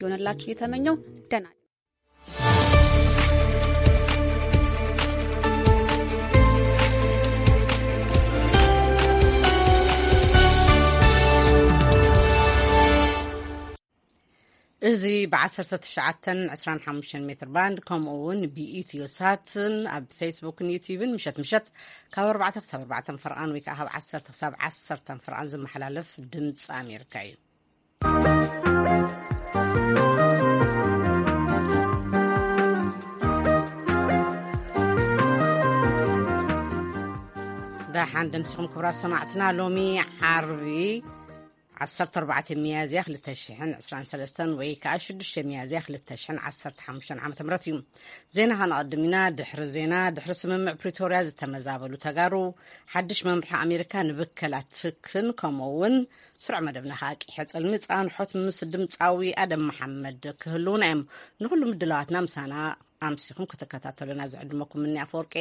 ይሆንላችሁ እየተመኘው ደህና እዚ ብ19 25 ሜትር ባንድ፣ ከምኡ እውን ብኢትዮ ሳትን ኣብ ፌስቡክን ዩቲዩብን ምሸት ምሸት ካብ 4 ክሳብ 4 ፈርቓን ወይ ከዓ ካብ 10 ክሳብ 10 ፈርቓን ዝመሓላለፍ ድምፂ ኣሜሪካ እዩ። ደሓን ደምሲኹም ክቡራት ሰማዕትና። ሎሚ ዓርቢ 14 ሚያዝያ 2023 ወይ ከዓ 6 ሚያዝያ 2015 ዓ.ም እዩ። ዜና ከነቐድም ኢና። ድሕሪ ዜና፣ ድሕሪ ስምምዕ ፕሪቶርያ ዝተመዛበሉ ተጋሩ፣ ሓድሽ መምርሒ ኣሜሪካ ንብከላ ትክን፣ ከምኡ እውን ስሩዕ መደብና ከዓ ቂሐ ጸልሚ ጻንሖት ምስ ድምጻዊ ኣደም መሓመድ ክህልውና እዮም። ንኹሉ ምድላዋትና ምሳና ኣምሲኹም ክትከታተሉና ዝዕድመኩም ምኒ ኣፈወርቄ።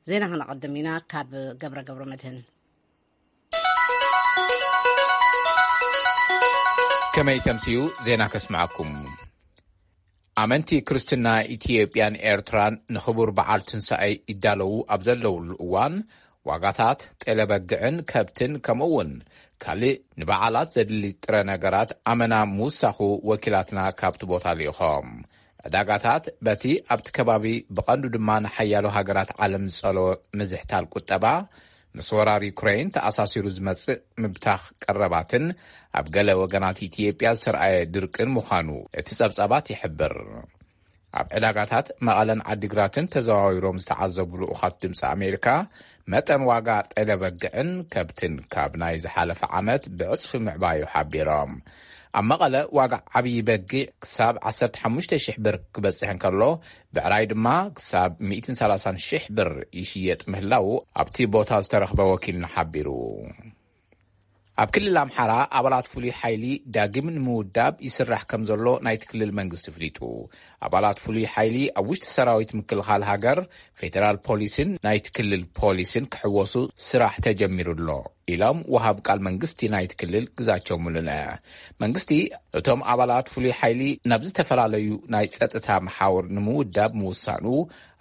ዜና ከነቐድም ኢና ካብ ገብረ ገብረ መድህን። ከመይ ተምስዩ ዜና ከስምዓኩም። ኣመንቲ ክርስትና ኢትዮጵያን ኤርትራን ንኽቡር በዓል ትንሳኤ ይዳለዉ ኣብ ዘለውሉ እዋን፣ ዋጋታት ጤለበግዕን ከብትን ከምኡ እውን ካልእ ንበዓላት ዘድሊ ጥረ ነገራት ኣመና ምውሳኹ ወኪላትና ካብቲ ቦታ ልኢኾም። ዕዳጋታት በቲ ኣብቲ ከባቢ ብቐንዱ ድማ ንሓያሎ ሃገራት ዓለም ዝጸለወ ምዝሕታል ቁጠባ ምስ ወራር ዩክሬን ተኣሳሲሩ ዝመጽእ ምብታኽ ቀረባትን ኣብ ገለ ወገናት ኢትዮጵያ ዝተርኣየ ድርቅን ምዃኑ እቲ ጸብጻባት ይሕብር። ኣብ ዕዳጋታት መቐለን ዓዲግራትን ተዘዋዊሮም ዝተዓዘቡ ልኡኻት ድምፂ ኣሜሪካ፣ መጠን ዋጋ ጤለ በግዕን ከብትን ካብ ናይ ዝሓለፈ ዓመት ብዕፅፊ ምዕባዩ ሓቢሮም። ኣብ መቐለ ዋጋ ዓብዪ በጊዕ ክሳብ 15,000 ብር ክበፅሕ እንከሎ፣ ብዕራይ ድማ ክሳብ 130,000 ብር ይሽየጥ ምህላዉ ኣብቲ ቦታ ዝተረኽበ ወኪልና ሓቢሩ። ኣብ ክልል ኣምሓራ ኣባላት ፍሉይ ሓይሊ ዳግም ንምውዳብ ይስራሕ ከም ዘሎ ናይቲ ክልል መንግስቲ ኣፍሊጡ። ኣባላት ፍሉይ ሓይሊ ኣብ ውሽጢ ሰራዊት ምክልኻል ሃገር፣ ፌደራል ፖሊስን ናይቲ ክልል ፖሊስን ክሕወሱ ስራሕ ተጀሚሩ ኣሎ ኢሎም ወሃብ ቃል መንግስቲ ናይቲ ክልል ግዛቸው ሙሉነ። መንግስቲ እቶም ኣባላት ፍሉይ ሓይሊ ናብ ዝተፈላለዩ ናይ ጸጥታ መሓውር ንምውዳብ ምውሳኑ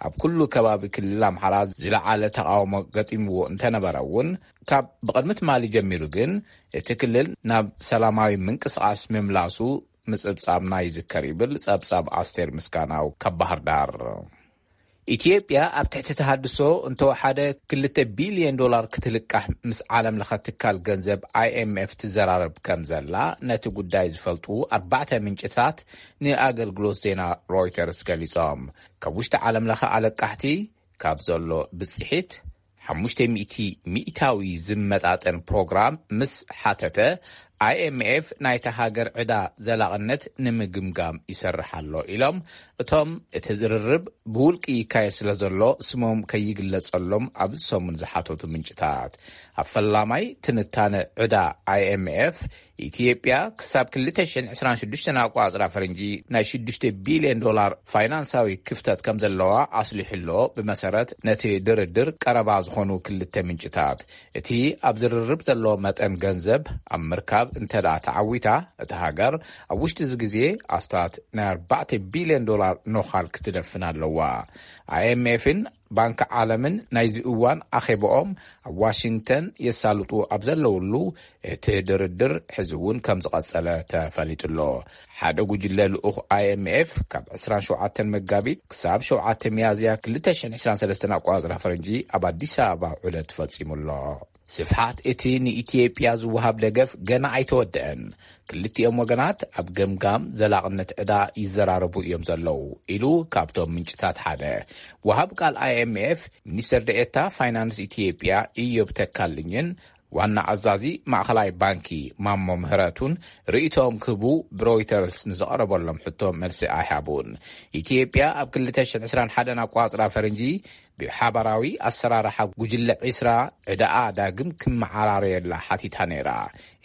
ኣብ ኩሉ ከባቢ ክልል ኣምሓራ ዝለዓለ ተቃውሞ ገጢምዎ እንተነበረ እውን፣ ካብ ብቕድሚ ትማሊ ጀሚሩ ግን እቲ ክልል ናብ ሰላማዊ ምንቅስቓስ ምምላሱ ምጽብጻብና ይዝከር ይብል ጸብጻብ ኣስቴር ምስጋናው ካብ ባህር ዳር። ኢትዮጵያ ኣብ ትሕቲ ተሃድሶ እንተወሓደ 2 ቢልዮን ዶላር ክትልቃሕ ምስ ዓለም ለኸ ትካል ገንዘብ ኣይ ኤም ኤፍ ትዘራረብ ከም ዘላ ነቲ ጉዳይ ዝፈልጡ ኣርባዕተ ምንጭታት ንኣገልግሎት ዜና ሮይተርስ ገሊጾም። ካብ ውሽጢ ዓለም ለኸ ኣለቃሕቲ ካብ ዘሎ ብጽሒት ሓሙሽተ ሚእቲ ሚእታዊ ዝመጣጠን ፕሮግራም ምስ ሓተተ፣ ኣይ ኤም ኤፍ ናይታ ሃገር ዕዳ ዘላቕነት ንምግምጋም ይሰርሕ ኣሎ ኢሎም። እቶም እቲ ዝርርብ ብውልቂ ይካየድ ስለ ዘሎ ስሞም ከይግለጸሎም ኣብዚ ሰሙን ዝሓተቱ ምንጭታት፣ ኣብ ፈላማይ ትንታነ ዕዳ ኣይ ኤም ኤፍ፣ ኢትዮጵያ ክሳብ 2026 ኣቋጽራ ፈረንጂ ናይ 6 ቢልዮን ዶላር ፋይናንሳዊ ክፍተት ከም ዘለዋ ኣስሊሑ ኣሎ። ብመሰረት ነቲ ድርድር ቀረባ ዝኾኑ ክልተ ምንጭታት፣ እቲ ኣብ ዝርርብ ዘሎ መጠን ገንዘብ ኣብ ምርካብ እንተ ደኣ ተዓዊታ፣ እታ ሃገር ኣብ ውሽጢ እዚ ግዜ ኣስታት ናይ 4 ቢልዮን ዶላር ኖኻል ክትደፍን ኣለዋ። ኣይ ኤም ኤፍን ባንኪ ዓለምን ናይዚ እዋን ኣኼባኦም ኣብ ዋሽንግተን የሳልጡ ኣብ ዘለውሉ፣ እቲ ድርድር ሕዚ እውን ከም ዝቐጸለ ተፈሊጡ ኣሎ። ሓደ ጉጅለ ልኡኽ ኣይ ኤም ኤፍ ካብ 27 መጋቢት ክሳብ 7 ሚያዝያ 2023 ኣቋጽራ ፈረንጂ ኣብ ኣዲስ ኣበባ ዑደት ፈጺሙ ኣሎ። ስፍሓት እቲ ንኢትዮጵያ ዝወሃብ ደገፍ ገና ኣይተወደአን። ክልቲኦም ወገናት ኣብ ገምጋም ዘላቕነት ዕዳ ይዘራረቡ እዮም ዘለዉ ኢሉ ካብቶም ምንጭታት ሓደ። ወሃብ ቃል ኣይ ኤም ኤፍ ሚኒስተር ደኤታ ፋይናንስ ኢትዮጵያ ኢዮብ ተካልኝን ዋና ኣዛዚ ማእኸላይ ባንኪ ማሞ ምህረቱን ርእይቶኦም ክህቡ ብሮይተርስ ንዝቐረበሎም ሕቶ መልሲ ኣይሃቡን። ኢትዮጵያ ኣብ 2021 ኣቋጽራ ፈረንጂ ብሓባራዊ ኣሰራርሓ ጉጅለ ዒስራ ዕዳኣ ዳግም ክመዓራረየላ ሓቲታ ነይራ።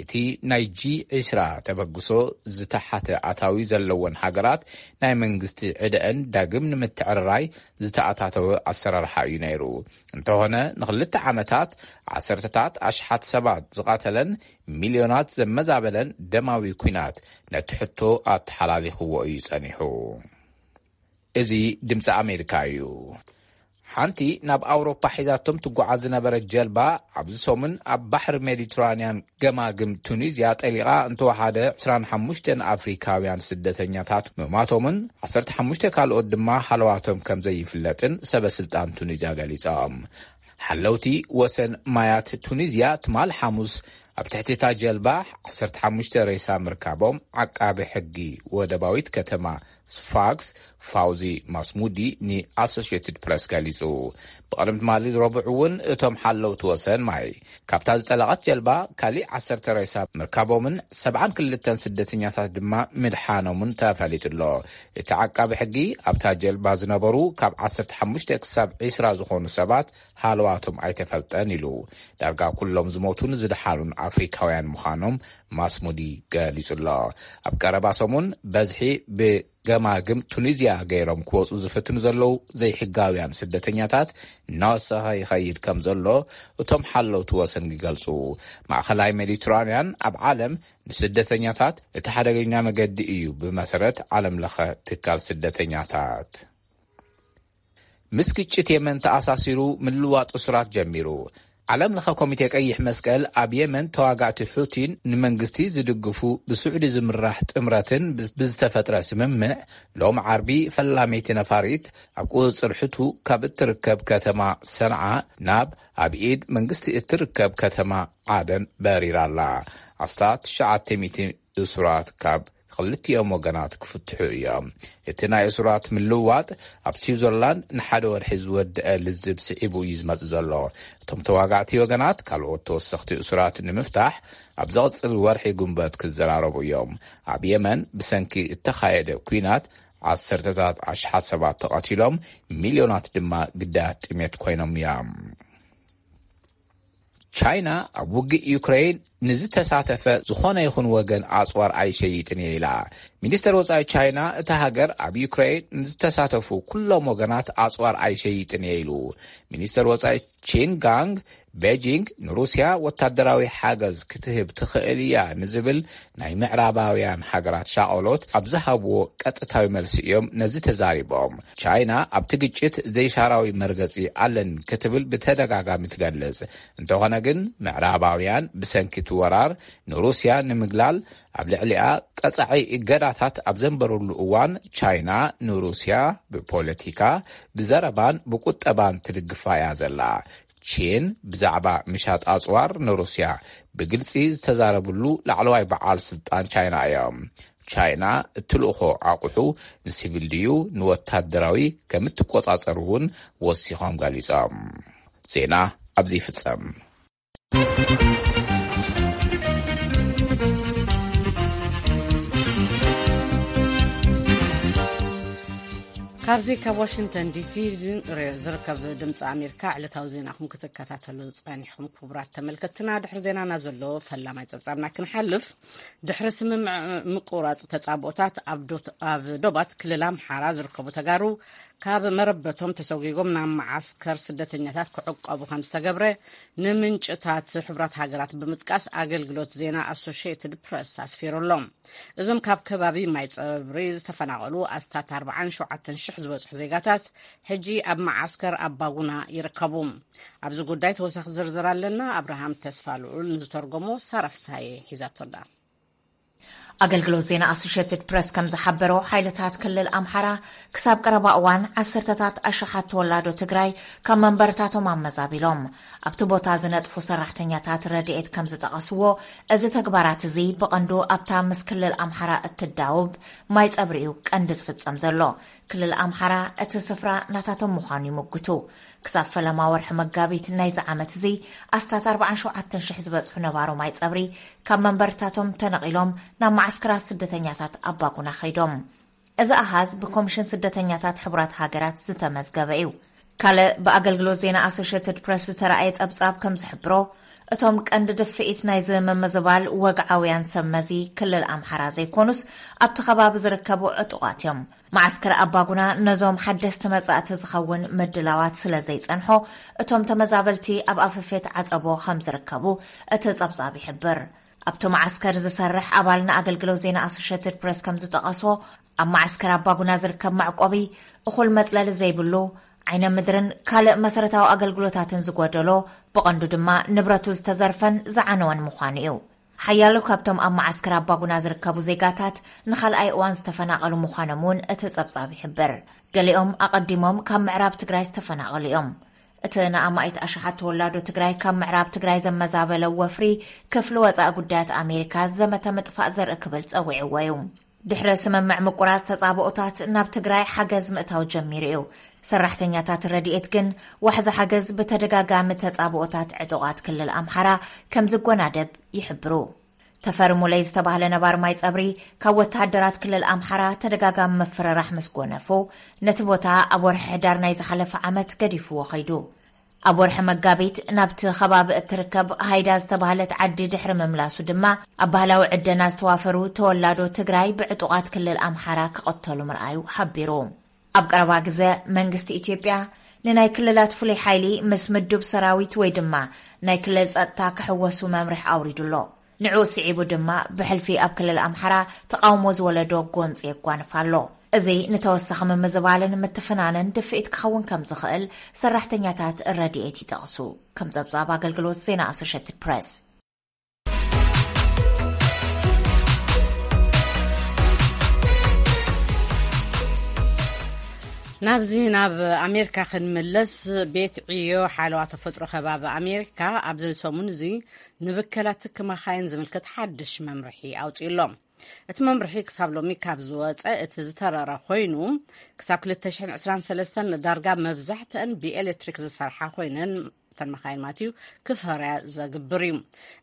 እቲ ናይ ጂ ዒስራ ተበግሶ ዝተሓተ ኣታዊ ዘለወን ሃገራት ናይ መንግስቲ ዕደአን ዳግም ንምትዕርራይ ዝተኣታተወ ኣሰራርሓ እዩ ነይሩ። እንተኾነ ንክልተ ዓመታት ዓሰርተታት ኣሽሓት ሰባት ዝቓተለን ሚልዮናት ዘመዛበለን ደማዊ ኲናት ነቲ ሕቶ ኣተሓላሊኽዎ እዩ ጸኒሑ። እዚ ድምፂ ኣሜሪካ እዩ። ሓንቲ ናብ ኣውሮፓ ሒዛቶም ትጓዓዝ ዝነበረት ጀልባ ኣብዚ ሰሙን ኣብ ባሕሪ ሜዲትራንያን ገማግም ቱኒዝያ ጠሊቓ እንተወሓደ ዕስራን ሓሙሽተን ኣፍሪካውያን ስደተኛታት ምማቶምን ዓሰርተ ሓሙሽተ ካልኦት ድማ ሃለዋቶም ከም ዘይፍለጥን ሰበ ስልጣን ቱኒዝያ ገሊጾም። ሓለውቲ ወሰን ማያት ቱኒዝያ ትማል ሓሙስ ኣብ ትሕቲ እታ ጀልባ ዓሰርተ ሓሙሽተ ሬሳ ምርካቦም ዓቃቢ ሕጊ ወደባዊት ከተማ ስፋክስ ፋውዚ ማስሙዲ ንኣሶሽየትድ ፕረስ ገሊጹ። ብቕድሚ ትማሊ ረቡዕ እውን እቶም ሓለውቲ ወሰን ማይ ካብታ ዝጠለቐት ጀልባ ካሊእ ዓሰርተ ሬሳ ምርካቦምን ሰብዓን ክልተን ስደተኛታት ድማ ምድሓኖምን ተፈሊጡ ኣሎ። እቲ ዓቃቢ ሕጊ ኣብታ ጀልባ ዝነበሩ ካብ ዓሰርተ ሓሙሽተ ክሳብ ዒስራ ዝኾኑ ሰባት ሃለዋቶም ኣይተፈልጠን ኢሉ። ዳርጋ ኩሎም ዝሞቱን ዝደሓኑን ኣፍሪካውያን ምዃኖም ማስሙዲ ገሊጹ ኣሎ። ኣብ ቀረባ ሰሙን በዝሒ ብገማግም ቱኒዝያ ገይሮም ክወጹ ዝፍትኑ ዘለዉ ዘይሕጋውያን ስደተኛታት እናወሰኸ ይኸይድ ከም ዘሎ እቶም ሓለውቲ ወሰን ይገልጹ። ማእኸላይ ሜዲትራንያን ኣብ ዓለም ንስደተኛታት እቲ ሓደገኛ መገዲ እዩ፣ ብመሰረት ዓለም ለኸ ትካል ስደተኛታት። ምስ ግጭት የመን ተኣሳሲሩ ምልዋጥ እሱራት ጀሚሩ። ዓለም ለኸ ኮሚቴ ቀይሕ መስቀል ኣብ የመን ተዋጋእቲ ሑቲን ንመንግስቲ ዝድግፉ ብስዑዲ ዝምራሕ ጥምረትን ብዝተፈጥረ ስምምዕ ሎም ዓርቢ ፈላመይቲ ነፋሪት ኣብ ቁፅፅር ሕቱ ካብ እትርከብ ከተማ ሰንዓ ናብ ኣብ ኢድ መንግስቲ እትርከብ ከተማ ዓደን በሪራ ኣላ። ኣስታት ትሽዓተ ሚእቲ እሱራት ካብ ክልቲኦም ወገናት ክፍትሑ እዮም። እቲ ናይ እሱራት ምልውዋጥ ኣብ ስዊዘርላንድ ንሓደ ወርሒ ዝወደአ ልዝብ ስዒቡ እዩ ዝመጽእ ዘሎ። እቶም ተዋጋእቲ ወገናት ካልኦት ተወሰኽቲ እሱራት ንምፍታሕ ኣብ ዘቕጽል ወርሒ ጉንበት ክዘራረቡ እዮም። ኣብ የመን ብሰንኪ እተኻየደ ኲናት ዓሰርተታት ኣሽሓት ሰባት ተቐቲሎም፣ ሚልዮናት ድማ ግዳያት ጥሜት ኮይኖም እዮም። ቻይና ኣብ ውግእ ዩክሬን ንዝተሳተፈ ዝኾነ ይኹን ወገን ኣጽዋር ኣይሸይጥን እየ ኢላ። ሚኒስተር ወጻኢ ቻይና እታ ሃገር ኣብ ዩክሬን ንዝተሳተፉ ኩሎም ወገናት ኣጽዋር ኣይሸይጥን እየ ኢሉ። ሚኒስተር ወጻኢ ቺን ጋንግ ቤጂንግ ንሩስያ ወታደራዊ ሓገዝ ክትህብ ትኽእል እያ ንዝብል ናይ ምዕራባውያን ሃገራት ሻቐሎት ኣብ ዝሃብዎ ቀጥታዊ መልሲ እዮም ነዚ ተዛሪቦም። ቻይና ኣብቲ ግጭት ዘይሻራዊ መርገጺ ኣለን ክትብል ብተደጋጋሚ ትገልጽ። እንተኾነ ግን ምዕራባውያን ብሰንኪ እቲ ወራር ንሩስያ ንምግላል ኣብ ልዕሊኣ ቀጻዒ እገዳታት ኣብ ዘንበሩሉ እዋን ቻይና ንሩስያ ብፖለቲካ፣ ብዘረባን ብቁጠባን ትድግፋ እያ ዘላ። ቺን ብዛዕባ ምሻጥ ኣጽዋር ንሩስያ ብግልጺ ዝተዛረብሉ ላዕለዋይ በዓል ስልጣን ቻይና እዮም። ቻይና እትልእኾ ኣቑሑ ንሲቪል ድዩ ንወታደራዊ ከም እትቆጻጸር እውን ወሲኾም ገሊጾም። ዜና ኣብዚ ይፍጸም። ካብዚ ካብ ዋሽንግተን ዲሲ ዝርከብ ድምፂ ኣሜሪካ ዕለታዊ ዜናኹም ክትከታተሉ ጸኒሕኩም ክቡራት ተመልከትና፣ ድሕሪ ዜና ናብ ዘሎ ፈላማይ ጸብጻብና ክንሓልፍ፣ ድሕሪ ስምምዕ ምቁራጽ ተጻብኦታት ኣብ ዶ-፣ ኣብ ዶባት ክልል ኣምሓራ ዝርከቡ ተጋሩ ካብ መረበቶም ተሰጒጎም ናብ መዓስከር ስደተኛታት ክዕቀቡ ከም ዝተገብረ ንምንጭታት ሕቡራት ሃገራት ብምጥቃስ ኣገልግሎት ዜና ኣሶሽየትድ ፕረስ ኣስፊሩ ኣሎ። እዞም ካብ ከባቢ ማይ ጸብሪ ዝተፈናቐሉ ኣስታት ኣርባዓን ሸውዓተን ሽሕ ዝበጽሑ ዜጋታት ሕጂ ኣብ መዓስከር ኣባጉና ይርከቡ። ኣብዚ ጉዳይ ተወሳኺ ዝርዝር ኣለና። ኣብርሃም ተስፋ ልዑል ንዝተርጎሞ ሳራ ፍስሃየ ሒዛቶ ኣላ። ኣገልግሎት ዜና ኣሶሽየትድ ፕረስ ከም ዝሓበሮ፣ ሓይልታት ክልል ኣምሓራ ክሳብ ቀረባ እዋን ዓሰርተታት ኣሽሓት ተወላዶ ትግራይ ካብ መንበርታቶም ኣመዛቢሎም ኣብቲ ቦታ ዝነጥፉ ሰራሕተኛታት ረድኤት ከም ዝጠቐስዎ፣ እዚ ተግባራት እዚ ብቐንዱ ኣብታ ምስ ክልል ኣምሓራ እትዳውብ ማይ ጸብሪ እዩ ቀንዲ ዝፍጸም ዘሎ። ክልል ኣምሓራ እቲ ስፍራ ናታቶም ምዃኑ ይምጉቱ። ክሳብ ፈለማ ወርሒ መጋቢት ናይዚ ዓመት እዚ ኣስታት ኣርባዓን ሸውዓተን ሽሕ ዝበጽሑ ነባሮ ማይ ጸብሪ ካብ መንበርታቶም ተነቒሎም ናብ መዓስከራት ስደተኛታት ኣባጉና ከይዶም። እዚ ኣሃዝ ብኮሚሽን ስደተኛታት ሕቡራት ሃገራት ዝተመዝገበ እዩ። ካልእ ብኣገልግሎት ዜና ኣሶሽየትድ ፕረስ ዝተራእየ ጸብጻብ ከም ዝሕብሮ፣ እቶም ቀንዲ ድፍኢት ናይዚ ምምዝባል ወግዓውያን ሰብ መዚ ክልል ኣምሓራ ዘይኮኑስ፣ ኣብቲ ከባቢ ዝርከቡ ዕጡቓት እዮም። መዓስከር ኣባጉና ነዞም ሓደስቲ መጻእቲ ዝኸውን ምድላዋት ስለ ዘይጸንሖ፣ እቶም ተመዛበልቲ ኣብ ኣፈፌት ዓጸቦ ከም ዝርከቡ እቲ ጸብጻብ ይሕብር። ኣብቲ መዓስከር ዝሰርሕ ኣባል ንኣገልግሎት ዜና ኣሶሽየትድ ፕረስ ከም ዝጠቐሶ፣ ኣብ መዓስከር ኣባጉና ዝርከብ መዕቆቢ እኹል መጽለሊ ዘይብሉ፣ ዓይነ ምድርን ካልእ መሰረታዊ ኣገልግሎታትን ዝጎደሎ፣ ብቐንዱ ድማ ንብረቱ ዝተዘርፈን ዝዓነወን ምዃኑ እዩ። ሓያሎ ካብቶም ኣብ መዓስከር ኣባጉና ዝርከቡ ዜጋታት ንኻልኣይ እዋን ዝተፈናቐሉ ምዃኖም እውን እቲ ጸብጻብ ይሕብር። ገሊኦም ኣቐዲሞም ካብ ምዕራብ ትግራይ ዝተፈናቐሉ እዮም። እቲ ንኣማኢት ኣሽሓት ተወላዶ ትግራይ ካብ ምዕራብ ትግራይ ዘመዛበለ ወፍሪ፣ ክፍሊ ወጻኢ ጉዳያት ኣሜሪካ ዘመተ ምጥፋእ ዘርኢ ክብል ጸዊዕዎ እዩ። ድሕሪ ስምምዕ ምቁራጽ ተጻብኦታት፣ ናብ ትግራይ ሓገዝ ምእታው ጀሚሩ እዩ። ሰራሕተኛታት ረድኤት ግን ዋሕዚ ሓገዝ ብተደጋጋሚ ተጻብኦታት ዕጡቓት ክልል ኣምሓራ ከም ዝጎናደብ ይሕብሩ። ተፈሪ ሙለይ ዝተባህለ ነባር ማይ ጸብሪ፣ ካብ ወተሃደራት ክልል ኣምሓራ ተደጋጋሚ ምፍርራሕ ምስ ጎነፎ፣ ነቲ ቦታ ኣብ ወርሒ ሕዳር ናይ ዝሓለፈ ዓመት ገዲፍዎ ኸይዱ። ኣብ ወርሒ መጋቢት ናብቲ ከባቢ እትርከብ ሃይዳ ዝተባህለት ዓዲ ድሕሪ ምምላሱ ድማ፣ ኣብ ባህላዊ ዕደና ዝተዋፈሩ ተወላዶ ትግራይ ብዕጡቓት ክልል ኣምሓራ ክቐተሉ ምርኣዩ ሓቢሩ። ኣብ ቀረባ ግዘ መንግስቲ ኢትዮጵያ ንናይ ክልላት ፍሉይ ሓይሊ ምስ ምዱብ ሰራዊት ወይ ድማ ናይ ክልል ጸጥታ ክሕወሱ መምርሒ ኣውሪዱ ኣሎ። ንዕኡ ስዒቡ ድማ ብሕልፊ ኣብ ክልል ኣምሓራ ተቓውሞ ዝወለዶ ጎንፂ የጓንፍ ኣሎ። እዚ ንተወሳኺ ምምዝባልን ምትፍናንን ድፍኢት ክኸውን ከም ዝኽእል ሰራሕተኛታት ረድኤት ይጠቕሱ። ከም ጸብጻብ ኣገልግሎት ዜና ኣሶሽየትድ ፕረስ። ናብዚ ናብ ኣሜሪካ ክንምለስ፣ ቤት ዕዮ ሓለዋ ተፈጥሮ ከባቢ ኣሜሪካ ኣብዚ ሰሙን እዚ ንብከላ ትኪ መኻይን ዝምልከት ሓድሽ መምርሒ ኣውፂኡ ኣሎ። እቲ መምርሒ ክሳብ ሎሚ ካብ ዝወፀ እቲ ዝተረረ ኮይኑ፣ ክሳብ ክልተ ሽሕን ዕስራን ሰለስተን ንዳርጋ መብዛሕተን ብኤሌክትሪክ ዝሰርሓ ኮይነን፣ እተን መኻይን ማለት እዩ፣ ክፈርያ ዘግብር እዩ።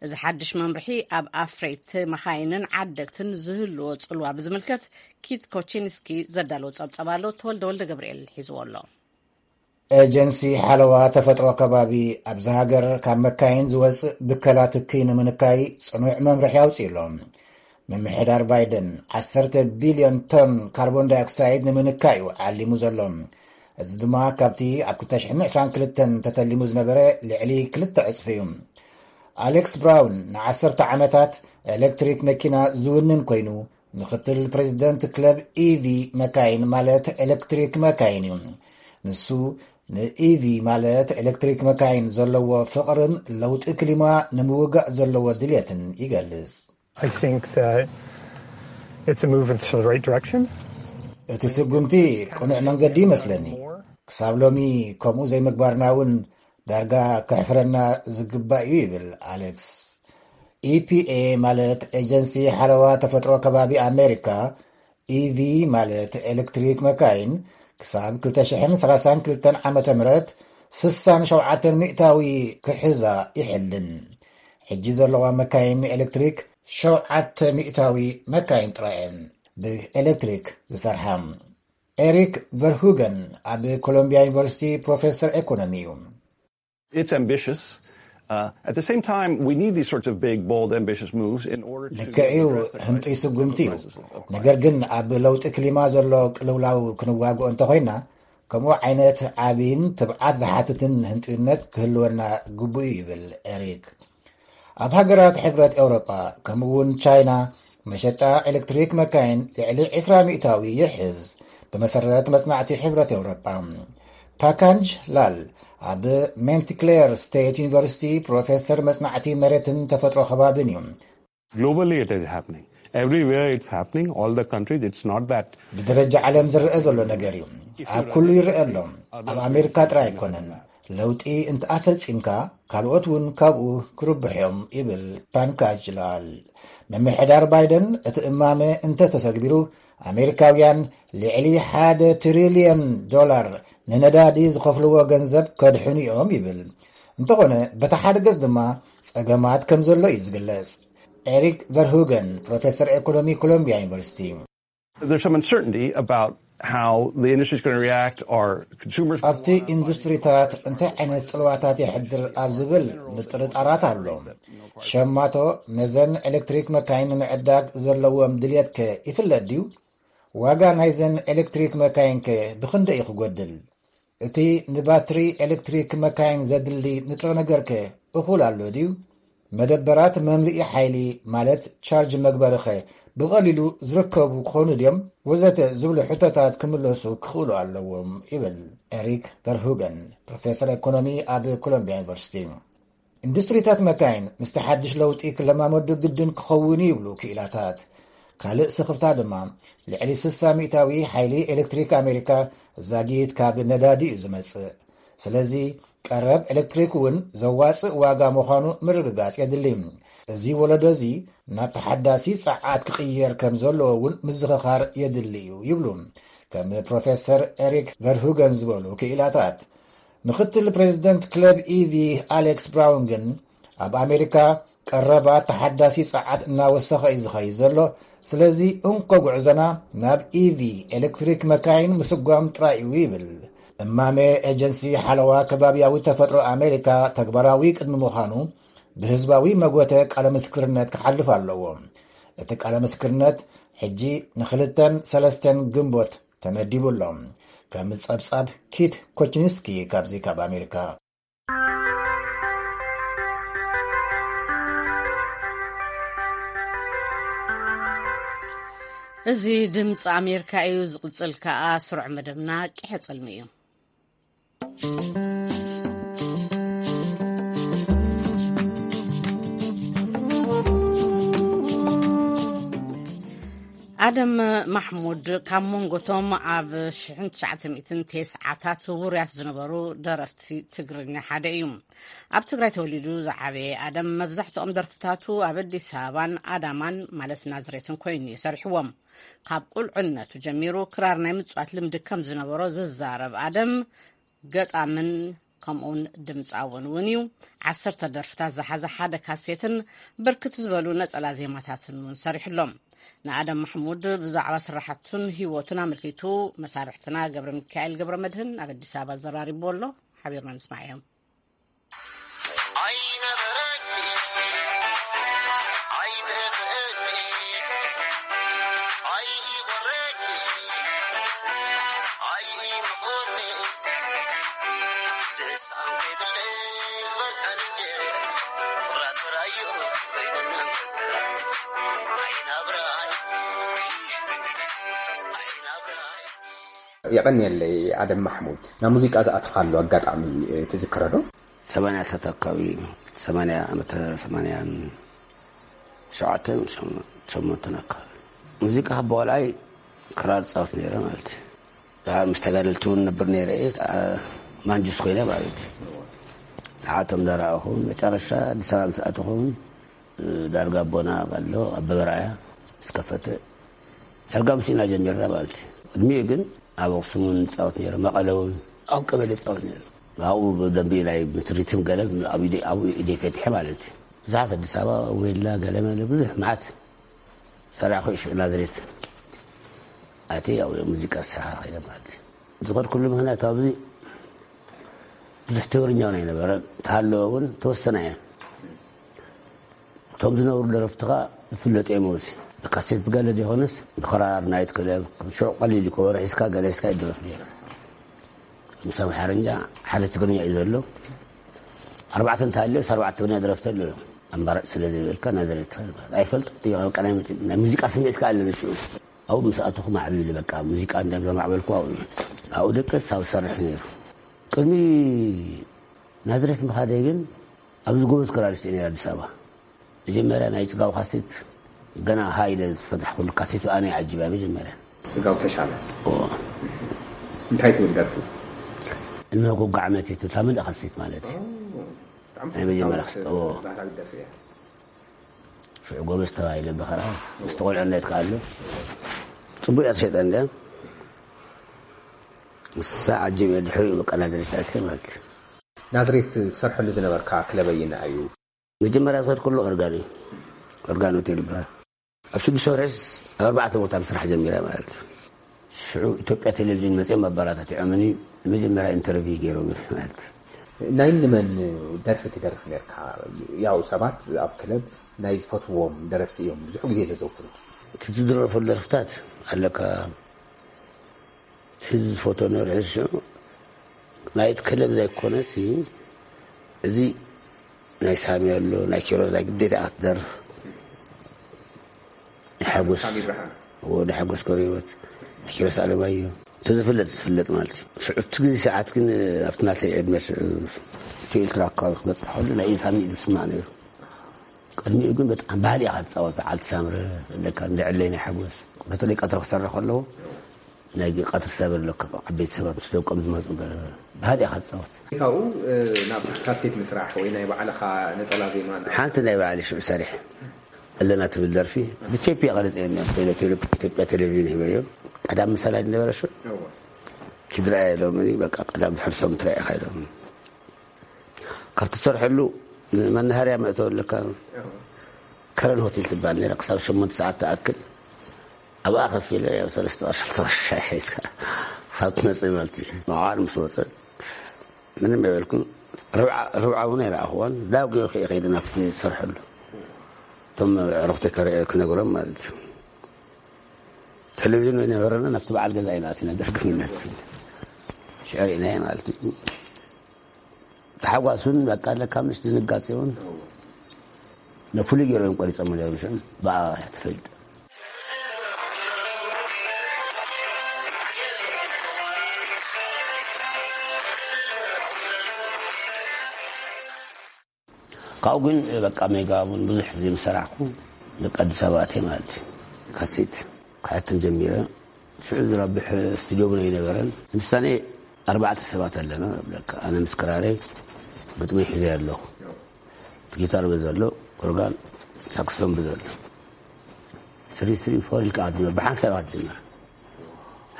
እዚ ሓድሽ መምርሒ ኣብ ኣፍረይቲ መኻይንን ዓደግትን ዝህልዎ ጽልዋ ብዝምልከት ኪት ኮቺንስኪ ዘዳለዎ ጸብጸብ ኣሎ። ተወልደ ወልደ ገብርኤል ሒዝዎ ኣሎ። ኤጀንሲ ሓለዋ ተፈጥሮ ከባቢ ኣብዚ ሃገር ካብ መካይን ዝወጽእ ብከላ ትኪ ንምንካይ ጽኑዕ መምርሒ ኣውጺኡ ኣሎ። ምምሕዳር ባይደን ዓሰርተ ቢልዮን ቶን ካርቦን ዳይኦክሳይድ ንምንካይ እዩ ዓሊሙ ዘሎ። እዚ ድማ ካብቲ ኣብ ክልተ ሽሕን ዕስራን ክልተን ተተሊሙ ዝነበረ ልዕሊ ክልተ ዕጽፊ እዩ። ኣሌክስ ብራውን ንዓሰርተ ዓመታት ኤሌክትሪክ መኪና ዝውንን ኮይኑ፣ ምኽትል ፕሬዚደንት ክለብ ኢቪ መካይን ማለት ኤሌክትሪክ መካይን እዩ። ንሱ ንኢቪ ማለት ኤሌክትሪክ መካይን ዘለዎ ፍቕርን ለውጢ ክሊማ ንምውጋእ ዘለዎ ድልየትን ይገልጽ። I think that it's a move into the right direction. እቲ ስጉምቲ ቅኑዕ መንገዲ ይመስለኒ። ክሳብ ሎሚ ከምኡ ዘይምግባርና እውን ዳርጋ ከሕፍረና ዝግባእ እዩ ይብል ኣሌክስ። ኢፒኤ ማለት ኤጀንሲ ሓለዋ ተፈጥሮ ከባቢ ኣሜሪካ፣ ኢቪ ማለት ኤሌክትሪክ መካይን ክሳብ ክልተ ሽሕን ሰላሳን ክልተን ዓመተ ምህረት ስሳን ሸውዓተን ሚእታዊ ክሕዛ ይሕልን። ሕጂ ዘለዋ መካይን ኤሌክትሪክ ሸውዓተ ሚእታዊ መካይን ጥራይ እየን ብኤሌክትሪክ ዝሰርሓ። ኤሪክ ቨርሁገን ኣብ ኮሎምቢያ ዩኒቨርሲቲ ፕሮፌሰር ኤኮኖሚ እዩ። It's ambitious. Uh, at the same time, we need these sorts of big, bold, ambitious moves in order to ልክዕ እዩ፣ address the ህንጡይ crisis ስጉምቲ of እዩ። crisis of ነገር climate. ግን ኣብ ለውጢ ክሊማ ዘሎ ቅልውላው ክንዋግኦ እንተኾይና፣ ከምኡ ዓይነት ዓብይን ትብዓት ዝሓትትን ህንጡይነት ክህልወና ግቡእ እዩ ይብል ኤሪክ። ኣብ ሃገራት ሕብረት ኤውሮጳ ከምኡ እውን ቻይና መሸጣ ኤሌክትሪክ መካይን ልዕሊ ዕስራ ሚእታዊ ይሕዝ። ብመሰረት መጽናዕቲ ሕብረት ኤውሮጳ፣ ፓካንጅ ላል ኣብ ሜንትክሌር ስቴት ዩኒቨርሲቲ ፕሮፌሰር መጽናዕቲ መሬትን ተፈጥሮ ከባብን እዩ። Globally, it is happening. Everywhere it's happening, all the countries, it's not that. ብደረጃ ዓለም ዝረአ ዘሎ ነገር እዩ። ኣብ ኩሉ ይረአ ኣሎ። ኣብ ኣሜሪካ ጥራይ ኣይኮነን። ለውጢ እንተኣፈጺምካ ካልኦት እውን ካብኡ ክርብሑ እዮም ይብል ፓንካጅ ላል። ምምሕዳር ባይደን እቲ እማመ እንተተሰግቢሩ፣ ኣሜሪካውያን ልዕሊ ሓደ ትሪልዮን ዶላር ንነዳዲ ዝኸፍልዎ ገንዘብ ከድሕኑ እዮም ይብል። እንተኾነ በቲ ሓደ ገጽ ድማ ጸገማት ከም ዘሎ እዩ ዝግለጽ። ኤሪክ ቨርሁገን ፕሮፌሰር ኤኮኖሚ ኮሎምቢያ ዩኒቨርሲቲ። There's some uncertainty about How the industry is going to react, are consumers going to ኣብቲ ኢንዱስትሪታት እንታይ ዓይነት ጽልዋታት የሕድር ኣብ ዝብል ምጥርጣራት ኣሎ። ሸማቶ ነዘን ኤሌክትሪክ መካይን ንምዕዳግ ዘለዎም ድልየት ከ ይፍለጥ ድዩ? ዋጋ ናይዘን ኤሌክትሪክ መካይን ከ ብኽንደይ እዩ ክጎድል? እቲ ንባትሪ ኤሌክትሪክ መካይን ዘድሊ ንጥረ ነገር ከ እኹል ኣሎ ድዩ? መደበራት መምልኢ ሓይሊ ማለት ቻርጅ መግበሪ ኸ ብቐሊሉ ዝርከቡ ክኾኑ ድዮም? ወዘተ ዝብሉ ሕቶታት ክምለሱ ክኽእሉ ኣለዎም ይብል ኤሪክ ቨርሁገን፣ ፕሮፌሰር ኤኮኖሚ ኣብ ኮሎምቢያ ዩኒቨርሲቲ። ኢንዱስትሪታት መካይን ምስቲ ሓድሽ ለውጢ ክለማመዱ ግድን ክኸውን ይብሉ ክኢላታት። ካልእ ስኽፍታ ድማ ልዕሊ ስሳ ሚእታዊ ሓይሊ ኤሌክትሪክ ኣሜሪካ ዛጊት ካብ ነዳዲ እዩ ዝመጽእ። ስለዚ ቀረብ ኤሌክትሪክ እውን ዘዋጽእ ዋጋ ምዃኑ ምርግጋጽ የድሊ። እዚ ወለዶ እዚ ናብ ተሓዳሲ ጸዓት ክቕየር ከም ዘለዎ እውን ምዝኽኻር የድሊ እዩ ይብሉ ከም ፕሮፌሰር ኤሪክ ቨርሁገን ዝበሉ ክኢላታት። ምኽትል ፕሬዚደንት ክለብ ኢቪ ኣሌክስ ብራውን ግን ኣብ ኣሜሪካ ቀረባ ተሓዳሲ ጸዓት እናወሰኸ እዩ ዝኸይድ ዘሎ። ስለዚ እንኮ ጉዕዞና ናብ ኢቪ ኤሌክትሪክ መካይን ምስጓም ጥራይ እዩ ይብል። እማመ ኤጀንሲ ሓለዋ ከባብያዊ ተፈጥሮ ኣሜሪካ ተግባራዊ ቅድሚ ምዃኑ ብህዝባዊ መጎተ ቃለ ምስክርነት ክሓልፍ ኣለዎ። እቲ ቃለ ምስክርነት ሕጂ ንክልተን ሰለስተን ግንቦት ተመዲቡ ኣሎ። ከም ጸብጻብ ኪት ኮችንስኪ ካብዚ ካብ ኣሜሪካ። እዚ ድምፂ ኣሜሪካ እዩ። ዝቕፅል ከኣ ስሩዕ መደብና ቂሐ ፅልሚ እዩ። ኣደም ማሕሙድ ካብ መንጎቶም ኣብ ሽሕን ትሽዓተ ሚእትን ተስዓታት ውሩያት ዝነበሩ ደረፍቲ ትግርኛ ሓደ እዩ። ኣብ ትግራይ ተወሊዱ ዝዓበየ ኣደም መብዛሕትኦም ደርፍታቱ ኣብ ኣዲስ ኣበባን ኣዳማን ማለት ናዝሬትን ኮይኑ እዩ ሰሪሕዎም። ካብ ቁልዕነቱ ጀሚሩ ክራር ናይ ምጽዋት ልምዲ ከም ዝነበሮ ዝዛረብ ኣደም፣ ገጣምን ከምኡውን ድምፃውን እውን እዩ። ዓሰርተ ደርፍታት ዝሓዘ ሓደ ካሴትን ብርክት ዝበሉ ነፀላ ዜማታትን እውን ሰሪሕሎም። ንኣደም ማሕሙድ ብዛዕባ ስራሕቱን ህይወቱን ኣመልኪቱ መሳርሕትና ገብረ ሚካኤል ገብረ መድህን ኣብ ኣዲስ ኣበባ ዘራሪብዎ ኣሎ። ሓቢርና ንስማዕ እዮም። የቐንየለይ ኣደም ማሕሙድ። ናብ ሙዚቃ ዝኣተኻሉ ኣጋጣሚ ትዝክረ ዶ? ሰማንያታት ኣካባቢ እዩ። ሰማንያ ዓመተ ሰማንያን ሸውዓተን ሸሞንተን ኣካባቢ ሙዚቃ ካብ ቆልዓይ ክራር ጻወት ነይረ ማለት እዩ። ድሓር ምስ ተጋደልቲ እውን ነብር ነይረ እየ። ማንጁስ ኮይነ ማለት እዩ። ንዓቶም ዳረኣኹ መጨረሻ ኣዲስ ኣበባ ምስ ኣተኹ እውን ዳርጋ ኣቦና ኣሎ ኣበበ ርኣያ ምስ ከፈተ ሕርጋ ምስኢና ጀሚርና ማለት እዩ። ቅድሚኡ ግን ኣብ ኣኽሱም እውን ፃወት ነይረ፣ መቐለ እውን ኣብ ቀበሌ ፃወት ነይረ። ኣብኡ ብደንቢ ናይ ሪትም ገለ ኣብኡ ኢደይ ፈትሐ ማለት እዩ። ብዙሓት ኣዲስ ኣበባ ዌላ ገለመለ ብዙሕ መዓት ሰራሕኩ። ሽዑ ናዝሬት ኣትየ ኣብ ሙዚቃ ስራሕ ከይደ ማለት እዩ። ዝኸድኩሉ ምኽንያት ኣብዚ ብዙሕ ትግርኛ እውን ኣይነበረን፣ ተሃለወ እውን ተወሰነ እየ። እቶም ዝነብሩ ደረፍትኻ ዝፍለጡ እዮም። ኣብዚ ብካሴት ብገለ ዘይኮነስ ብክራር ናይት ክለብ ሽዑ ቀሊል እዩ፣ ከበሮ ሒዝካ ገለ ሒዝካ ይድረፍ ነይሩ። ምስ ኣምሓርኛ ሓደ ትግርኛ እዩ ዘሎ። ኣርባዕተ እንተሃልዮስ ኣርባዕተ ትግርኛ ደረፍቲ ኣለዉ እዮም። ኣማራጭ ስለ ዘይብልካ ናዝሬት ትኸድ ማለት ኣይፈልጥ። በቃ ናይ ሙዚ- ናይ ሙዚቃ ስምዒት ከኣ ኣለኒ ሽዑ። ኣብኡ ምስ ኣተኹ ማዕቢሉ በቃ ሙዚቃ እንዳ ዘማዕበልኩ ኣብኡ እዩ። ኣብኡ ደቀስ ኣብ ሰርሕ ነይሩ። ቅድሚ ናዝሬት ምኻደይ ግን ኣብዚ ጎበዝ ክራሪስት እየ ነይረ ኣዲስ ኣበባ። መጀመርያ ናይ ጽጋቡ ካሴት ገና ሃ ኢለ ዝፈታሕኩሉ ካሴት ኣነ እየ ዓጂበያ መጀመርያ። ጽጋቡ ተሻለ። እዎ። እንታይ ትብል ደርፊ? እንሆ ጎጎ ዓመት እያ ትብል፣ እታ ምልእ ካሴት ማለት እዩ። ብጣዕሚ ናይ መጀመርያ ተፈታዊት ክስ-፣ እዎ። ባህላዊት ደርፊ እያ። ሽዑ ጎበዝ ተባሂለ ብኸራ፣ ምስቲ ቆልዕነት ከኣ ኣሎ። ጽቡቕ እያ ትሸጠ እንድያ። ንሳ ዓጂበ ድሕሪኡ በቃ ናዝሬት ኣትየ ማለት እዩ። ናዝሬት ትሰርሐሉ ዝነበርካ ክለብ ኣየናይ እዩ? መጀመርያ ዝኸድኩሉ ኦርጋን እዩ። ኦርጋን ሆቴል ይበሃል። ኣብ ሽዱሽተ ወርሒስ ኣብ ኣርባዕተ ቦታ ምስራሕ ጀሚረ ማለት እዩ። ኢትዮጵያ ቴሌቪዥን መፅኦም ኣባራታትዖምኒ መጀመርያ ኢንተርቪው ገይሮም ማለት እዩ። ናይ ንመን ደርፊ ትደርፍ ነርካ? ያው ሰባት ኣብ ክለብ ናይ ዝፈትዎም ደረፍቲ እዮም ብዙሕ ግዜ ዘዘውትሩ። እቲ ዝድረፈሉ ደርፍታት ኣለካ ህዝቢ ዝፈትዎ ነርሒ ሽዑ ናይቲ ክለብ ዘይኮነስ እዩ። እዚ ናይ ሳሚ ኣሎ ናይ ኪሮስ ናይ ግዴታ ክትደርፍ ናይ ሓጎስ ናይ ሓጎስ ገርህይወት ናይ ኪሮስ ኣለማዮ እንተዝፍለጥ ዝፍለጥ ማለት እዩ። ሽዑ እቲ ግዜ ሰዓት ግን ኣብቲ ናተይ ዕድመ ሽዑ ኢትዮ ኤርትራ ኣካባቢ ክበፅሕ ከሎ ናይ ኢድ ሳሚ ኢዱ ዝስማዕ ነይሩ። ቅድሚኡ ግን በጣም ባህል ኢኻ ትፃወት በዓልቲ ሳምረ ለካ እንደ ዕለይ ናይ ሓጎስ በተለይ ቀትሪ ክሰርሕ ከለዎ ናይ ቀትሪ ሰብ ኣለካ ዓበይቲ ሰባት ምስ ደቆም ዝመፁ ገለ ባህል ኢኻ ትፃወት። ካብኡ ናብ ካሴት ምስራሕ ወይ ናይ ባዕልኻ ነፀላ ዜማ ናብ ሓንቲ ናይ ባዕሊ ሽዑ ሰሪሕ ኣለና ትብል ደርፊ ብቴፕ እየ ቀረፂ ኢትዮጵያ ቴሌቪዥን ሂበዮ ቀዳም ምሳላ ዝነበረ ሽዑ ኪድረኣየ ኢሎምኒ በቃ ቀዳም ድሕር ሰብ ምትረኣ ኢኻ ኢሎም ካብ ትሰርሐሉ መናሃርያ መእተወ ኣለካ ከረን ሆቴል ትበሃል ነራ ክሳብ ሸሞንተ ሰዓት ትኣክል ኣብኣ ከፍ ኢለ ያው ሰለስተ ቅርሺ ክልተ ቅርሺ ሻሂ ሒዝካ ክሳብ ትመፅእ ማለት እዩ። መዓር ምስ ወፀት ምንም የበልኩን። ርብዓ እውን ኣይረኣኽዋን። ዳው ገይሩ ከይደ ናብቲ ዝሰርሐሉ እቶም ኣዕሩኽተይ ክነግሮም ማለት እዩ። ቴሌቪዥን ኣይነበረና ናብቲ በዓል ገዛ ኢና ኣቲና ደርጊ ምለስ ሽዕር ኢናየ ማለት እዩ። ታሕጓስ እውን በቃ ኣለካ ምስ ድንጋጼ እውን ነፍሉይ ገይሮም ቆሪጾም ነይሮም ሽዑ ብኣ ተፈሊጡ። ካብኡ ግን በቃ ሜጋ እውን ብዙሕ ግዜ ምስ ሰራሕኩ ደቂ ኣዲስ ኣበባ ኣትየ ማለት እዩ። ካሴት ክሕትም ጀሚረ። ሽዑ ዝረብሕ ስቱድዮ እውን ኣይነበረን። ንምሳሌ ኣርባዕተ ሰባት ኣለና እብለካ። ኣነ ምስ ክራረይ ግጥመይ ሒዘ ኣለኹ። እቲ ጊታር በዚ ኣሎ፣ ኦርጋን፣ ሳክስፎን በዚ ኣሎ። ስሪ ስሪ ፎር ኢልካ ኣትጅምር፣ ብሓንሳብ ኣትጅምር።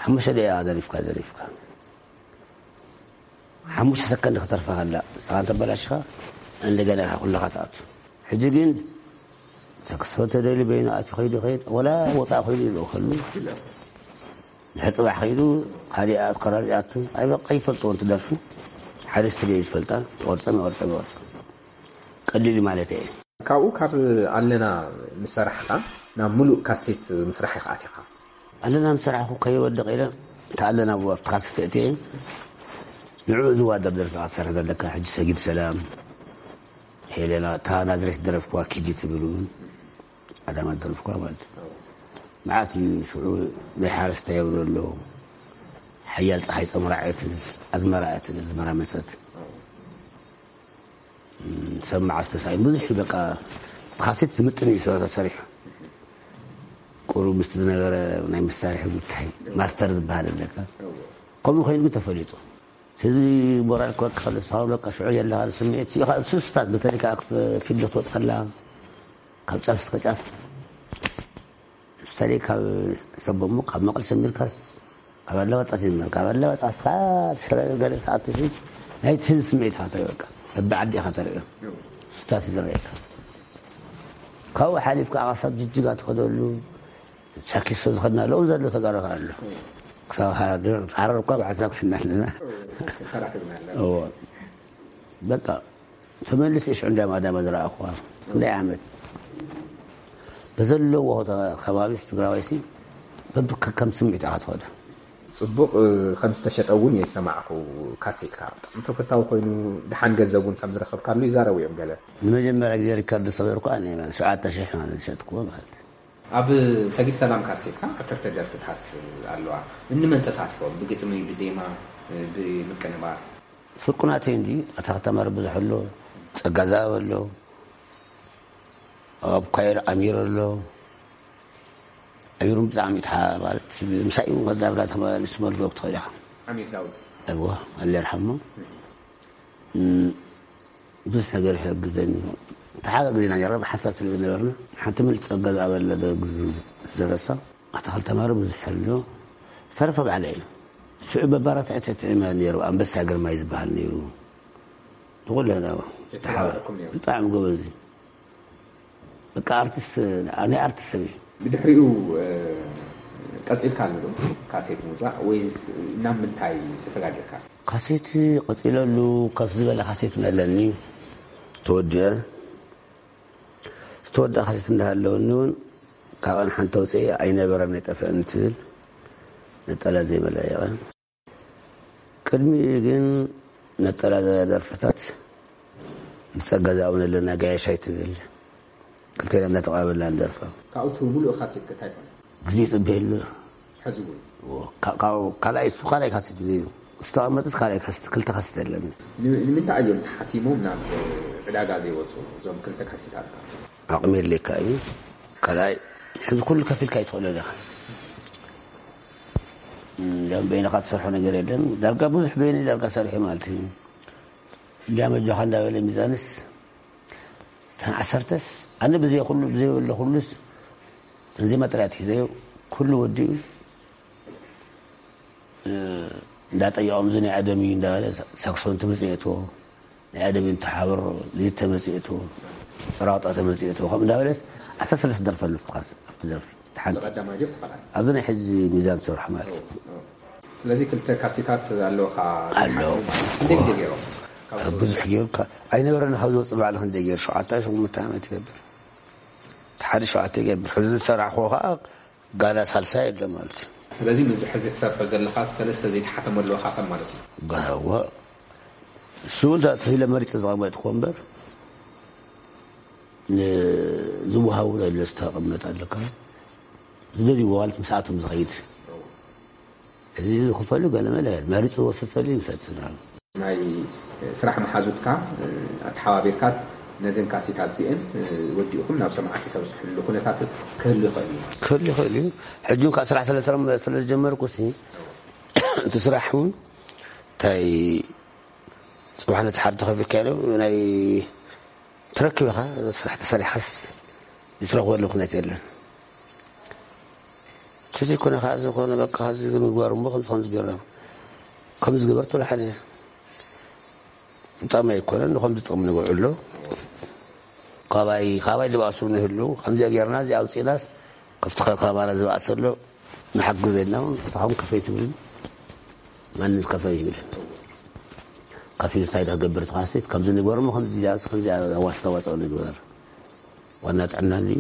ሓሙሽተ ደቂቃ ደሪፍካ ደሪፍካ ሓሙሽተ ሰከንድ ክተርፋ ከላ ንስኻ እንተበላሽኻ እንደገና ኢኻ ኩልኻ ትኣቱ። ሕጂ ግን ተክስፎ ተደልዩ በይኑ ኣትዩ ከይዱ ይኸይድ ወላ ወፃእ ከይዱ ይልእኸሉ ድሕሪ ፅባሕ ከይዱ ካሊእ ኣከራሪ ኣቱ ኣይበቃ ይፈልጥዎ እንትደርፊ ሓደ ስትድዮ እዩ ዝፈልጣ ይቆርፀም ይቆርፀም ይቆርፀም ቀሊል ማለት እየ። ካብኡ ካብ ኣለና ምስ ሰራሕኻ ናብ ሙሉእ ካሴት ምስራሕ ኢኻ ኣቲኻ። ኣለና ምስ ሰራሕኹ ከይወድቕ ኢለ እታ ኣለና ብኡ ኣብቲ ካሴት እትየ ንዕኡ ዝዋደር ደርፊ ኢኻ ትሰርሕ ዘለካ ሕጂ ሰጊድ ሰላም ሄለና እታ ናዝሬት ዝደረፍክዋ ኪዲ ትብል እውን ቀዳማት ደርፍኳ ማለት እዩ። መዓት እዩ ሽዑ ናይ ሓረስታይ የብሎ ኣሎ ሓያል ፀሓይ ፀምራ እያ ትብል ኣዝመራ እያ ትብል ኣዝመራ መፀት ሰብ መዓስ ተሳኢኑ ብዙሕ እዩ በቃ እቲ ካሴት ዝምጥን እዩ ስለ ተሰሪሑ ቁሩብ ምስቲ ዝነበረ ናይ መሳርሒ ጉዳይ ማስተር ዝበሃል ኣለካ ከምኡ ኮይኑ ግን ተፈሊጡ ህዝቢ ሞራል ክወቅኸሉ ዝሃበካ ሽዑ ዘለካ ስምዒት ስኢኻ ስስታት በተለይ ከዓ ፊልድ ክትወፅእ ከላ ካብ ጫፍ እስከ ጫፍ ምሳሌ ካብ ሰቦሞ ካብ መቐል ሰሚርካስ ካብ ኣለዋጣ ትጅምር ካብ ኣለዋጣ እስኻ ሽረ ገለ ትኣትሲ ናይቲ ህዝቢ ስምዒት ኢኻ ተርእዮ በቃ በቢ ዓዲ ኢኻ ተርእዮ ስታት እዩ ዝረአየካ ካብኡ ሓሊፍካ ከዓ ክሳብ ጅጅጋ ትኸደሉ ሻኪሶ ዝኸድና ኣለዉ ዘሎ ተጋሩ ኣሎ ክሳብ ዓረር እኳ ብሓሳብ ክሽና ኣለና በቃ ተመልሰ ሽዑ እንዳ ማዳማ ዝረኣኹዋ ክንደይ ዓመት በዘለዎ ከባቢስ ትግራዋይሲ በብከከም ስምዒት ኢኻ ትኸዶ ጽቡቕ ከም ዝተሸጠ እውን የሰማዕኩ ካሴትካ ብጣዕሚ ተፈታዊ ኮይኑ ድሓን ገንዘብ እውን ከም ዝረኸብካሉ ይዛረቡ እዮም ገለ ንመጀመርያ ግዜ ሪከርድ ዝሰበርኩ ኣነ ማለት ሸውዓተ ሽሕ ማለት ዝሸጥኩዎ ማለት ኣብ ሰጊድ ሰላም ካሴትካ ዓሰርተ ደርፍታት ኣለዋ እንመን ተሳትፎ ብግጥሚ ብዜማ ብምቅንባር ፍርቁ ናተይ እንዲ ኣታ ከተማ ብዙሕ ኣሎ ጸጋ ዘኣብ ኣሎ ኣብ ኳየር ኣሚር ኣሎ ኣሚሩ ብጣዕሚ ማለት ምሳይ ዳርጋ ተመሊሱ መልጎ ክትኸዳ ኣሚር ዳውድ እዎ ኣለ ይርሓሞ ብዙሕ ነገር ይሕግዘኒ ተሓጋግዝና ነርና ብሓሳብ ስለ ዝነበርና ሓንቲ ምልቲ ጸጋ ዝኣበለ ዝደረሳ ኣታኽል ተማሪ ብዙሕ ኣሎ ዝተረፈ ባዕለ እዩ ሽዑ በባራት ዕትዕትዕመ ነይሩ ኣንበሳ ግርማይ ዝበሃል ነይሩ ንኩለና ብጣዕሚ ጎበዝ እዩ በቃ ኣርቲስት ናይ ኣርቲስት ሰብ እዩ ብድሕሪኡ ቀጺልካ ኣሎ ዶ ካሴት ምውጻእ ወይስ ናብ ምንታይ ተሰጋጊርካ? ካሴት ቀጺለሉ፣ ከፍ ዝበለ ካሴት እውን ኣለኒ ተወዲአ። ዝተወደኣ ካሴት እንዳሃለወኒ እውን ካብኣን ሓንቲ ኣውፅኤ ኣይነበረን ኣይጠፍአን ትብል ነጠላ ዘይመላየቐ። ቅድሚኡ ግን ነጠላ ደርፍታት ምስ ጸጋ ዝኣውነለና ጋያሻይ ትብል ክልቴና እንዳተቐባበልና ንደርፋ። ካብኡ እቲ ሙሉእ ካሴት ከ እንታይ ኮነ? ግዜ ይጽበየሉ። ሕዚ እውን እዎ፣ ካብ- ካብ- ካልኣይ እሱ ካልኣይ ካሴት እዩ። ዝተቐመጥስ ካልኣይ ካሴት፣ ክልተ ካሴት ኣለኒ። ን- ንምንታይ እዮም ተሓቲሞም ናብ ዕዳጋ ዘይወፁ እዞም ክልተ ካሴታት? ዓቕሚ የድልየካ እዩ። ካልኣይ ሕዚ ኩሉ ከፊልካ ኣይትኽእሎን ኢኻ። እም፣ ዳም በይንኻ ትሰርሖ ነገር የለን። ዳርጋ ብዙሕ በይነይ ዳርጋ ሰሪሑ ማለት እዩ። እንዲያ መጆኻ እንዳበለ ሚዛንስ እተን ዓሰርተስ ኣነ ብዘይ ኩሉ ብዘይ በሎ ኩሉስ እተን ዜማ ጥራይ ኣትሒዘዮ። ኩሉ ወዲኡ እንዳጠየቖም እዚ ናይ ኣደም እዩ እንዳበለ ሳክሶን ትምፅኤቶ ናይ ኣደም እዩ ተሓብሮ ሊድ ተመፅኤቶ ጸራውጣ ተመፅኤቶ ከም እንዳበለት ዓሰርተ ሰለስተ ደርፊ ኣለፍትኻስ ኣብቲ ደርፊ ሓንቲ ኣብዚ ናይ ሕዚ ሚዛን ትሰርሖ ማለት እዩ። ስለዚ ክልተ ካሴታት ኣለውኻ። ኣሎ። ክንደይ ግዜ ገይሮም? ብዙሕ ገይሩ ኣይነበረን ካብ ዝወፅእ ባዕሉ ክንደይ ገይሩ ሸውዓተ ሸሞንተ ዓመት ይገብር። ሓደ ሸውዓተ ይገብር ሕዚ ዝሰራሕክዎ ከዓ ጋና ሳልሳይ ኣሎ ማለት እዩ። ስለዚ ምስዚ ሕዚ ትሰርሖ ዘለኻ ሰለስተ ዘይተሓተመሉ ኣኻኸብ ማለት እዩ። ጋዋ እሱ እውን ተባሂለ መሪፀ ዝቐመጥኩዎ እምበር ንዝወሃቡ ዘሎ ዝተቐመጥ ኣለካ ዝደልይዎ ማለት ምስኣቶም ዝኸይድ እዚ ዝኽፈሉ ገለመለ መሪፅዎ ሰሰሉ ይውሰድ። ናይ ስራሕ መሓዙትካ ኣተሓባቢርካስ ነዘን ካሴታት እዚአን ወዲእኹም ናብ ሰማዕቲ ተብፅሕሉ ኩነታትስ ክህሉ ይኽእል እዩ? ክህሉ ይኽእል እዩ። ሕጂ እንኳ ስራሕ ስለ ዝጀመርኩ ሲ እቲ ስራሕ እውን እንታይ ፅባሕ ነቲ ሓደ ተኸፊልካ ኢሎም ናይ ትረክብ ኢኻ ስራሕ ተሰሪሓስ ዝትረኽበሉ ምክንያት የለን። ተዘይኮነ ከዓ ዝኾነ በቃ ዚ ምግባር እሞ ከምዚ ከምዚ ገርና ከምዚ ግበር ትብሎ ሓደ ምጣም ኣይኮነን ንኸምዚ ጥቕሚ ንውዕሎ ካባይ ካባይ ዝበኣሱ ንህሉ ከምዚኣ ጌርና እዚ ኣውፂናስ ከፍቲ ከባና ዝበኣሰ ኣሎ ንሓግዘና እውን ንስኻም ከፈይ ትብልን ማንም ከፈይ ይብልን ከፊሉ እንታይ ዶ ክገብር ተኻሲት ከምዚ ንግበር እሞ ከምዚ ከምዚ ኣዋስተዋፅኦ ንግበር ዋና ጥዕና እንድዩ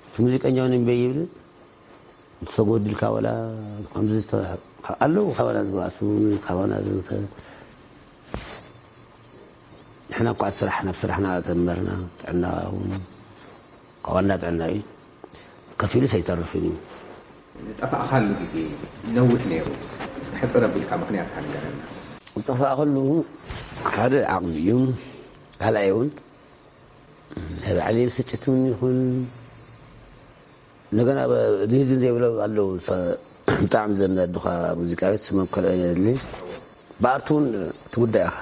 እቲ ሙዚቀኛ እውን እምበይ ይብል እንተሰጎድልካ ወላ ከምዚ ኣለዉ ካባና ዝበኣሱ ካባና ንሕና እኳ ስራሕ ናብ ስራሕና ተመርና ጥዕና እውን ካብ ዋና ጥዕና እዩ ከፊሉስ ኣይተርፍን እዩ። ዝጠፋእኻሉ ግዜ ነዊሕ ነይሩ። እስኪ ሕፅር ኣቢልካ ምኽንያትካ ንገረና። ዝጠፋእኸሉ ሓደ ዓቕሚ እዩ። ካልኣይ እውን ናይ ባዕለይ ብስጭት እውን ይኹን እንደገና ድህዝን ዘይብሎ ኣለዉ ብጣዕሚ ዘናድኻ ሙዚቃ ቤት ስሞም ከልኦ የድሊ ብኣርቱ እውን ትጉዳይ ኢኻ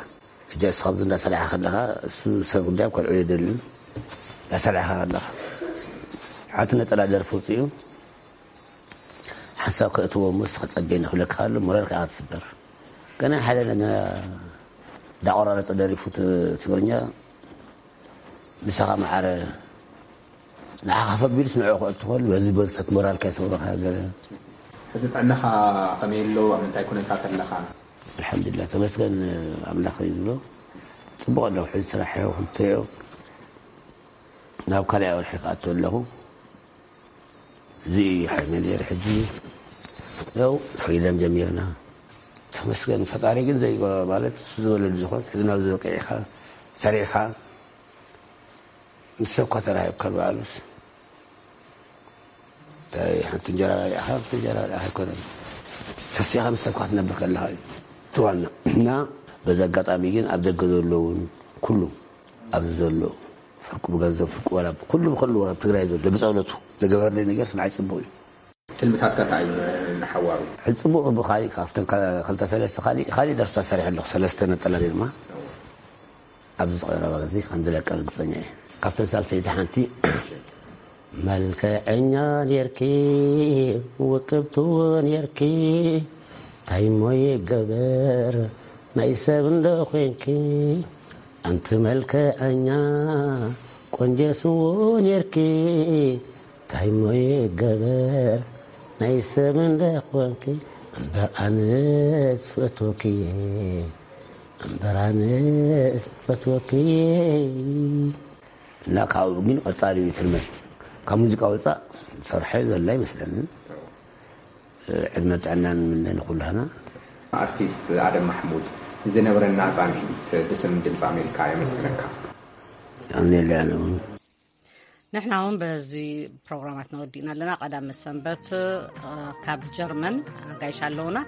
ሕጂ ንስኻ ኣብዚ እንዳሰራሕኻ ከለኻ እሱ ሰብ ጉዳይ ከልዕሎ ኣይደልን። እንዳሰራሕኻ ከለኻ ሓንቲ ነፀላ ደርፊ ውፅኡ ሓንሳብ ከእትዎ እሞ ንስኻ ፀበየኒ ክብለካ ከሎ ሞራልካ ኢኻ ትስበር። ገና ሓደ ነገር እንዳቆራረፀ ደሪፉ ትግርኛ ንስኻ ማዕረ ንዓኻ ከፍ ኣቢሉስ ንዕኡ ከእቱ ከሎ በዚ በዚ ተት ሞራልካ ይሰብረኻ ገለ። ሕዚ ጥዕናኻ ከመይ ኣሎ? ኣብ ምንታይ ኩነታት ኣለኻ? ኣልሓምዱሊላህ ተመስገን ኣምላኽ እዩ ዝብሎ። ፅቡቕ ኣለኹ ሕዚ ስራሕ እዮ ክልተ እዮ ናብ ካልኣይ ወርሒ ክኣቱ ኣለኹ። እዚ ሓይመ ነይሩ ሕጂ ያው ፍሪደም ጀሚርና ተመስገን ፈጣሪ ግን ዘይ ማለት እሱ ዝበለሉ ዝኾን ሕዚ ናብ ዝበቅዕ ኢኻ ሰሪዕኻ ምስ ሰብካ ተራሂብካ በዓሉስ እንታይ ሓንቲ እንጀራ በሊዕኻ ሓንቲ እንጀራ በሊዕኻ ኣይኮነን ተሲኻ ምስ ሰብካ ትነብር ከለኻ እዩ እቲ ዋና እና በዚ ኣጋጣሚ ግን ኣብ ደገ ዘለውን ኩሉ ኣብዚ ዘሎ ፍርቁ ብገንዘብ ፍርቁ ዋላ ኩሉ ብከሉ ኣብ ትግራይ ዘሎ ብፀሎቱ ዝገበርለይ ነገር ንዓይ ፅቡቅ እዩ። ትልምታትካ እንታይ እዩ ንሓዋሩ? ሕጂ ፅቡቅ ብካሊእ ካብተን ክልተ ሰለስተ ካሊእ ካሊእ ደርፍታት ሰሪሐ ኣለኹ ሰለስተ ነጠላ ድማ ኣብዚ ዝቀረበ ግዜ ከም ዝለቀ ርግፀኛ እየ። ካብተን ሳልሰይቲ ሓንቲ መልክዐኛ ኔርኪ ውቅብቲ ኔርኪ ታይሞ ይገበር ናይ ሰብ እንዶ ኮንኪ ኣንቲ መልክዐኛ ቆንጆ ስዎ ኔርኪ ታይሞ ይገበር ናይ ሰብ እንደ ኮንኪ እምበር ኣነስ ፈትወኪ፣ እምበር ኣነስ ፈትወኪ። እና ካብኡ ግን ቀጻሊ እዩ ትልመድ። ካብ ሙዚቃ ወጻእ ዝሰርሐ ዘላ ይመስለኒ። ዕድመ ጥዕናን ምነ ንኹላህና። ኣርቲስት ኣደም ማሕሙድ፣ ዝነበረና ጻንሒት ብስም ድምፂ ኣሜሪካ የመስግነካ። ኣምኔለያ ንውን። ንሕና እውን በዚ ፕሮግራማት ነወዲእና ኣለና። ቀዳመ ሰንበት ካብ ጀርመን ኣጋይሽ ኣለውና።